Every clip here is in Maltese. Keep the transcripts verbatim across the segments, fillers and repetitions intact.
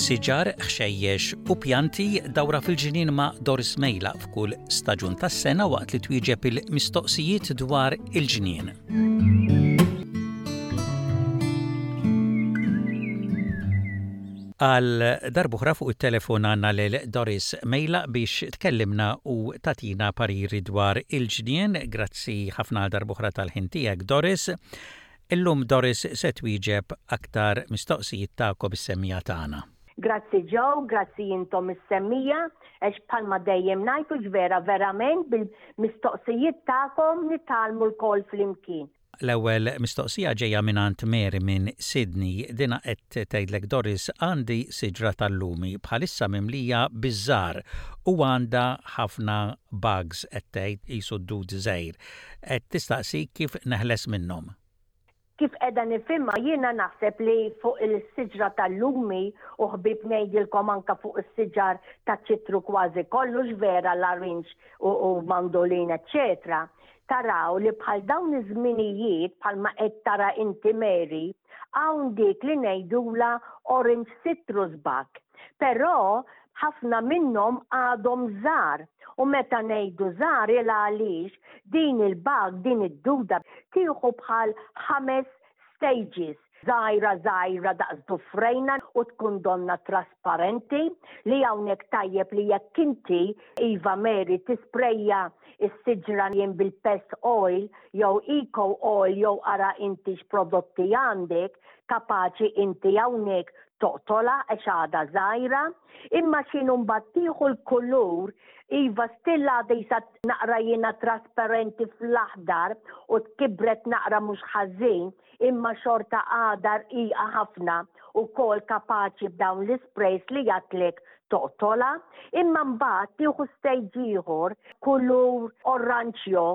Siġar, ħxejjex u pjanti dawra fil-ġnien ma' Doris Mejlaq f'kull staġun tas-sena waqt li twieġeb il-mistoqsijiet dwar il-ġnien. Għal darb'oħra fuq it-telefon għandna lil Doris Mejlaq biex tkellimna u tagħtina pariri dwar il-ġnien. Grazzi ħafna għal darb'oħra tal-ħin tiegħek Doris. Illum Doris se twieġeb aktar mistoqsijiet tagħkom is-semmiegħa tagħna. Grazzi Joe, grazzi intom is-semmiegħa, għax bħalma dejjem ngħid u vera verament bil-mistoqsijiet tagħkom nitgħallmu lkoll flimkien. L-ewwel mistoqsija ġejja mingħand Mary minn Sydney. Dina qed tgħidlek Doris għandi siġra tal-lumi bħalissa mimlija biż-żahar u għandha ħafna bugs qed tgħid qisu dud żgħir. Qed tistaqsi kif neħles minnhom. Kif qiegħda nifhimha jiena naħseb li fuq il-siġra tal-lumi u ħbieb ngħidilkom anka fuq is-siġar taċ-ċitru kważi kollox vera larinġ u, u mandolin eċċetera. Taraw li bħal dawn iż-żminijiet bħalma qed tara inti Mary, hawn dik li ngħidula orange citrus bug. Però ħafna minnhom għadhom żgħar u meta ngħidu żgħar il għaliex din il-bug, din id-duda tieħu bħal ħames stages. Żgħira żgħira daqs dufrejna u tkun donna trasparenti li hawnhekk tajjeb li jekk inti Iva Mary tisprejja is-siġra jien bil-pest oil jew eco oil jew ara inti x'prodotti għandek kapaċi inti hawnhekk toqtola għax għadha żgħira, imma x'inhu mbagħad tieħu l-kulur iva still għadha jisa naqra jiena trasparenti fl-aħdar u tkibret naqra mhux ħażin, imma xorta għadha rqiqa ħafna u kol kapaċi b'dawn l-isprays li jatlek toqtola, imma mbagħad tieħu stage ieħor kulur oranġjo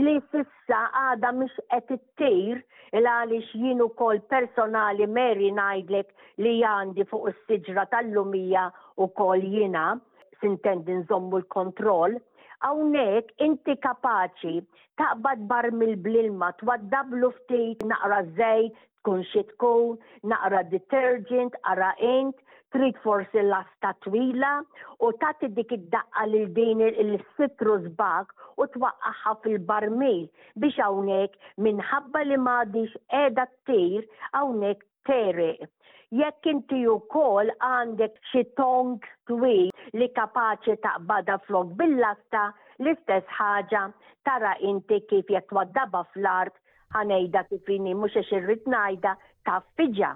li sissa għadha mhix qed ittir il għaliex jien ukoll personali Mary ngħidlek li għandi fuq is-siġra tal-lumija ukoll jiena sintendi nżommu l-kontroll. Hawnhekk inti kapaċi taqbad barmil bl-ilma twaddablu ftit naqra żejt, tkun xi tkun, naqra detergent, ara int, trid forsi lasta twila u tagħti dik id-daqqa lil din il-citrus bug u twaqqaħħa fil-barmil biex hawnhekk minħabba li m'għadix qiegħda ttir hawnhekk tegħreq. Jekk inti wkoll għandek xi tong twil li kapaċi taqbadha flok bil-lasta, l-istess ħaġa tara inti kif jekk twaddabha fl-art, ħa ngħidha kif inhi mhux għax irrid ngħidha taffiġa.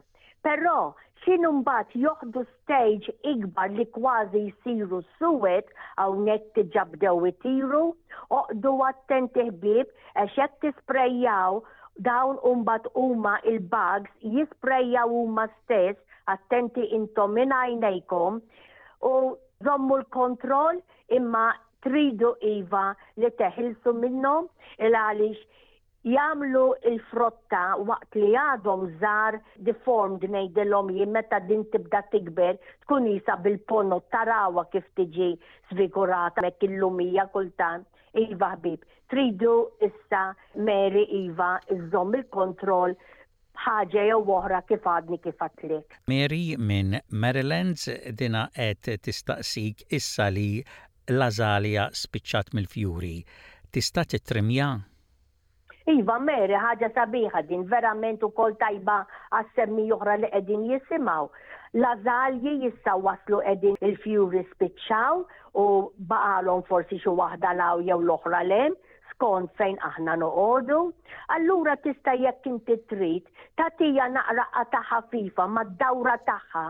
Però x'inhu mbagħad joħdu stage ikbar li kważi jsiru suwed hawnhekk diġà bdew itiru, oqdu attenti ħbieb għax jekk tisprejjaw dawn mbagħad huma il-bugs jisprejjaw huma stess, attenti intom minn għajnejkom u żommu l-kontroll imma tridu iva li teħilsu minnhom il għaliex jagħmlu il-frotta waqt li għadhom żgħar deformed ngħidilhom jien meta din tibda tikber tkun isa bil-ponot tarawha kif tiġi sfigurata hekk il-lumija kultant. Iva ħbib, tridu issa Mary iva iżżomm il-kontroll b'ħaġa jew oħra kif għadni kif għedtlek. Mary minn Maryland dina qed tistaqsik issa li l-azalja spiċċat mill-fjuri. Tista' titrimja? Iva, Mary, ħaġa sabiħa din, verament ukoll tajba għas-semmiegħa oħra li qegħdin jisimgħu. L-azalji jissa waslu qegħdin il-fjuri spiċċaw u baqalhom forsi xi waħda law jew l-oħra lem, skont fejn aħna noqogħdu. Allura tista' jekk inti trid tagħtija naqra qata ħafifa mad-dawra tagħha.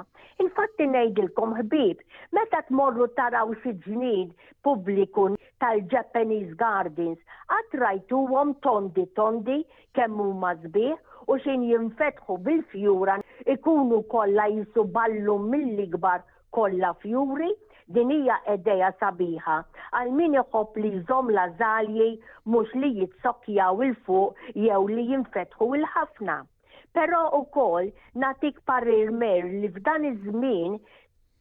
Infatti ngħidilkom ħbieb, meta tmorru taraw xi ġnien pubbliku tal-Japanese Gardens, qatt rajtuhom tondi tondi kemm huma sbieħ u xin jinfetħu bil-fjura ikunu kollha jisu ballu mill-ikbar kollha fjuri. Din hija idea sabiħa għal min iħobb li jżomm l-azalji mhux li jitsokkjaw il fuq jew li jinfetħu il-ħafna. Però ukoll nagħtik parir Mer li f'dan iż-żmien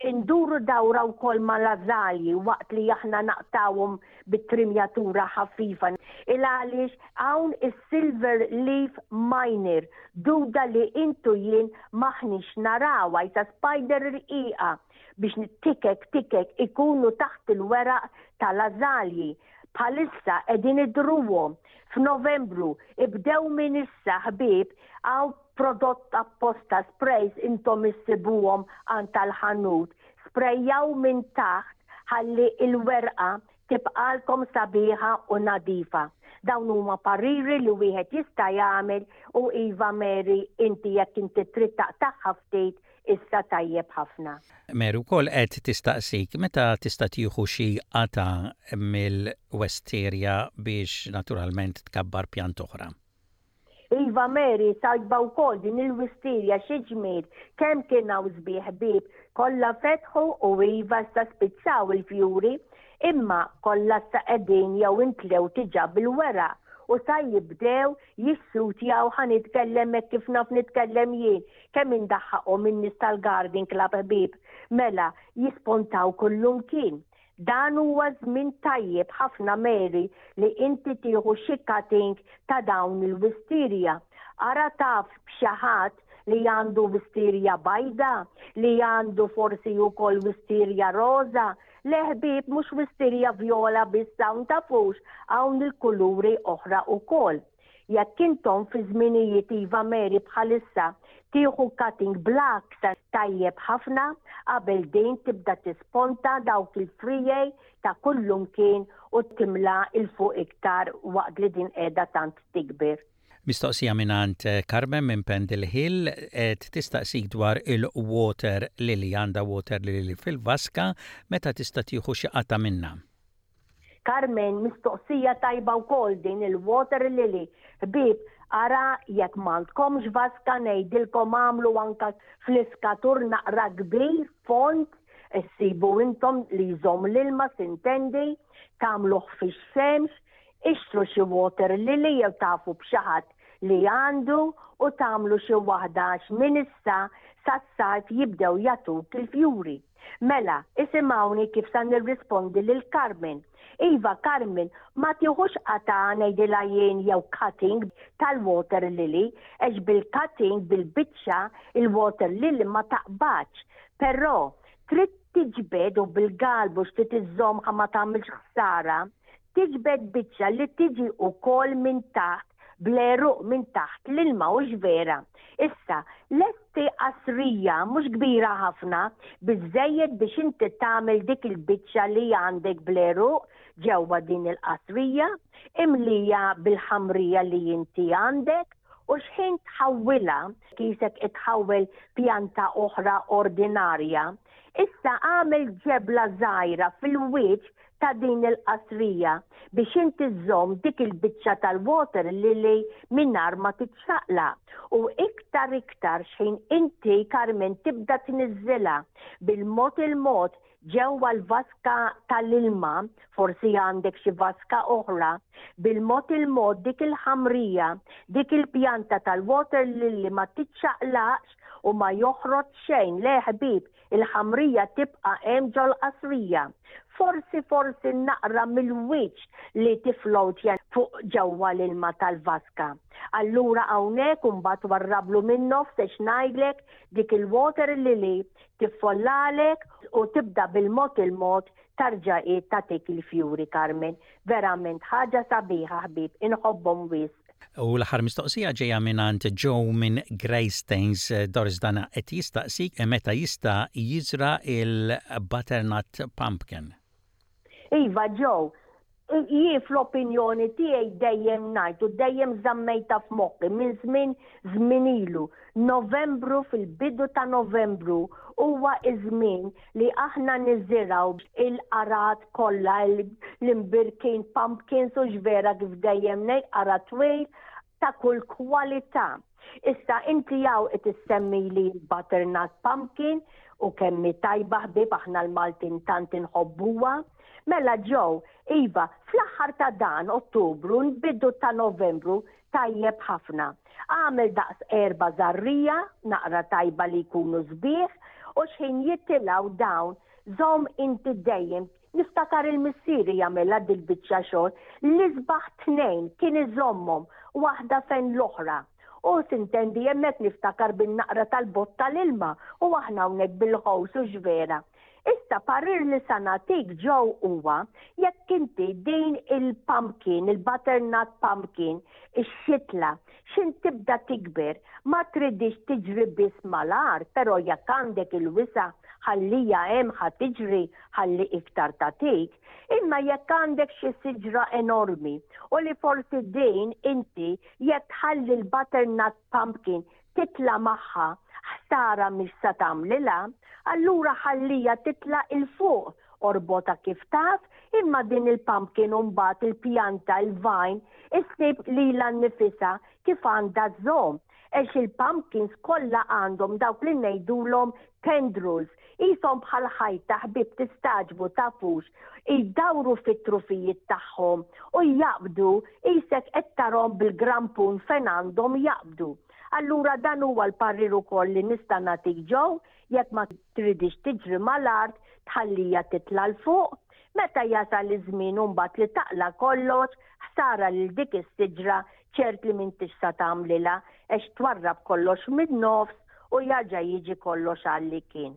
Induru dawra wkoll mal-ażalji waqt li aħna naqtawhom bit-trimjatura ħafifa. Il għaliex hawn is-silver leaf miner, duda li intu jien m'aħniex narawha, jisa spider rqiqa biex tikek tikek ikunu taħt il-weraq tal-ażalji. Bħalissa qegħdin idruhom f'Novembru, ibdew minn issa, ħbieb, hawn prodott apposta, sprays, intom issibuhom għand tal-ħanut. Sprejjaw minn taħt ħalli il-werqa tibqalkom sabiħa u nadifa. Dawn huma pariri li wieħed jista' jagħmel u iva, Mary, inti jekk inti trid taqtagħha ftit issa, tajjeb ħafna. Mary wkoll qed tistaqsik meta tista' tieħu xi qata mill-wisteria biex naturalment tkabbar pjant oħra. Iva Mary, tajba wkoll din il-wisteria, xi ġmiel, kemm kien hawn sbieħ, ħbieb, kollha fetħu u iva sa spiċċaw il-fjuri, imma kollha sa qegħdin jew intlew diġà bil-weraq u sa jibdew jissutjaw. Ħa nitkellem hekk kif naf nitkellem jien, kemm indaħħaqhom in-nies tal-garden club, ħbieb, mela jispontaw kullum kien. Dan huwa żmien tajjeb ħafna, Mary, li inti tieħu xi cutting ta' dawn il-wisteria. Ara taf b'xi ħadd li għandu wisteria bajda, li għandu forsi wkoll wisteria roza. Le ħbieb, mhux wisteria viola biss hawn, tafux, hawn il-kuluri oħra wkoll. Jekk intom fi żminijiet, iva Mary, bħalissa tieħu cutting black tajjeb ħafna qabel din tibda tisponta dawk il-friegħi ta' kullum kien u timla 'l fuq iktar waqt li din qiegħda tant tikber. Mistoqsija mingħand Carmen minn Pendle Hill, qed tistaqsik dwar il-water lily, għandha water lily fil-vaska, meta tista' tieħu xi qata minnha. Carmen, mistoqsija tajba wkoll din il-water lily. Ħbieb, ara jekk m'għandkomx vaska, ngħidilkom għamlu anka fl-iskatur naqra kbir, fond, issibu intom li jżomm l-ilma sintendi, tagħmluh fix-xemx, ixtru xi water lily jew tafu b'xi ħadd li għandu u tagħmlu xi waħda għax minn issa sas-sajf jibdew jagħtuk il-fjuri. Mela, isimgħuni kif sa nirrispondi lil Carmen. Iva Carmen, ma tieħux qata, ngħidilha jien, jew cutting tal-water lily, għax bil-cutting, bil-biċċa, il-water lily ma taqbadx. Però trid tiġbed u bil-galbu x'trid iżżomm ma tagħmilx ħsara, tiġbed biċċa li tiġi ukoll minn taħt bl-għeruq minn taħt l-ilma, u vera. Issa, lesti qasrija mhux kbira ħafna, biżejjed biex inti tagħmel dik il-biċċa li għandek bl-għeruq ġewwa din il-qasrija, imlija bil-ħamrija li inti għandek, u xħin tħawwilha qisek itħawwel pjanta oħra ordinarja. Issa għamel ġebla żgħira fil-wiċċ ta' din il-qasrija biex inti żżomm dik il-biċċa tal-water lily mingħajr ma titxaqla. U iktar iktar xħin inti, Carmen, tibda tniżżilha bil-mod il-mod ġewwa l-vaska tal-ilma, forsi għandek xi vaska oħra, bil-mod il-mod dik il-ħamrija, dik il-pjanta tal-water lily ma titxaqlaqx u ma joħroġ xejn. Le ħbieb, il-ħamrija tibqa' hemm ġol-qasrija. Forsi forsi naqra mill-wiċċ li tiflowtja fuq ġewwa l-ilma tal-vaska. Allura hawnhekk imbagħad warrablu minn nofs għax ngħidlek dik il-water lily tiffollalek u tibda bil-mod il-mod tarġa' tagħtik il-fjuri, Carmen. Verament ħaġa sabiħa, ħbieb, inħobbhom wisq. U l-aħħar mistoqsija ġejja mingħand Joe minn Greystanes. Doris, dana qed jistaqsik meta jista' jiżra il-butternut pumpkin. Iva Joe, jien fl-opinjoni tiegħi dejjem ngħid u dejjem żammejta f'moħħi minn żmien żmien ilu. Novembru, fil-bidu ta' Novembru huwa iż-żmien li aħna niżirgħu il-qargħat kollha, l-imbirkin, pumpkins u x'vera kif dejjem ngħid qara' twil ta' kull kwalità. Issa inti jaw qed issemmi li butternut pumpkin u kemm hi tajba, ħbieb, aħna l-Maltin tant inħobbuha. Mela Joe, iva, fl-aħħar ta' dan Ottubru, nbidu ta' Novembru, tajjeb ħafna. Għamel daqs erba żarrija, naqra tajba li jkunu sbieħ, U xħin jitilgħu dawn, żomm inti dejjem, niftakar il-missieri jagħmilha dil-biċċa xogħol, l-isbaħ tnejn kien iżommhom waħda fejn l-oħra. U sintendi hemmhekk niftakar bin-naqra tal-bott tal-ilma u aħna hawnhekk bil-ħows u x'vera. Issa parir li sa nagħtik, Joe, huwa jekk inti din il-pumpkin, il-butternut pumpkin, ix-xitla, xin tibda tikber, ma tridix tiġri biss mal-art, però jekk għandek il-wisa' ħallija hemm ħa tiġri ħalli iktar tatik, imma jekk għandek xi siġra enormi u li forsi din inti jekk tħalli l-butternut pumpkin titla' magħha, ħsara mhix sa tagħmlilha, allura ħallija titla' 'il fuq, orbota kif taf, imma din il-pumpkin mbagħad il-pjanta, il-vine, issib lilha nnifisha kif għandha żżomm. Għax il-pumpkins kollha għandhom dawk li ngħidulhom tendrils, qishom bħal ħajta, ħbib, tistagħġbu tafux, jdawru fit-trufijiet tagħhom u jaqbdu, qisek qed tarahom bil-grampun fejn għandhom jaqbdu. Allura dan huwa l-parir ukoll li nista' nagħtik, Joe, jekk ma tridix tiġri mal-art, tħallija titla' 'l fuq, meta jasal iż-żmien mbagħad li taqla' kollox, ħsara lil dik is-siġra ċert li m'intix sa tagħmlilha għax twarrab kollox min-nofs u jarġa' jiġi kollox għalli kien.